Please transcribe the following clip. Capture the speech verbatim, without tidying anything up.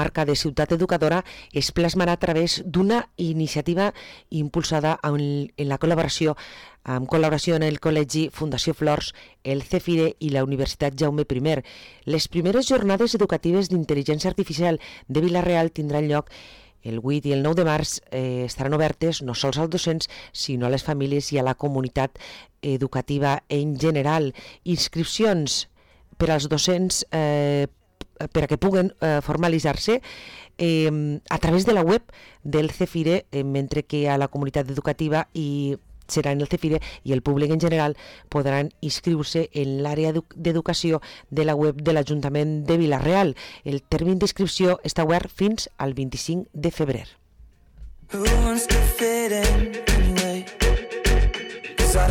marca de ciutat educadora es plasmarà a través d'una iniciativa impulsada en la col·laboració amb col·laboració en el Col·legi Fundació Flors, el CEFIRE i la Universitat Jaume I. Les primeres jornades educatives d'intel·ligència artificial de Vila-real tindran lloc el vuit i el nou de març. Eh, estaran obertes no sols als docents, sinó a les famílies i a la comunitat educativa en general. Inscripcions per als docents eh, per a que puguen eh, formalitzar-se eh, a través de la web del CEFIRE, eh, mentre que a la comunitat educativa i serà en el CEFIRE i el públic en general podran inscriure-se en l'àrea d'educació de la web de l'Ajuntament de Vila-real. El termini d'inscripció està obert fins al vint-i-cinc de febrer.